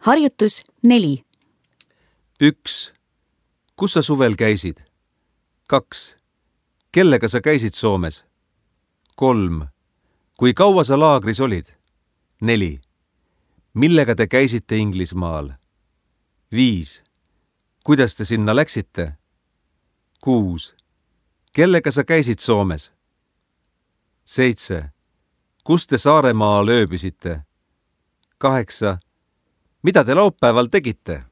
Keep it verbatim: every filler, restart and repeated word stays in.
Harjutus neli. üks. Kus sa suvel käisid? kaks. Kellega sa käisid Soomes? kolm. Kui kaua sa laagris olid? neli. Millega te käisite Inglismaal? viis. Kuidas te sinna läksite? kuus. Kellega sa käisid Soomes? seitse. Kus te Saaremaal ööbisite? kaheksa. Mida te laupäeval tegite?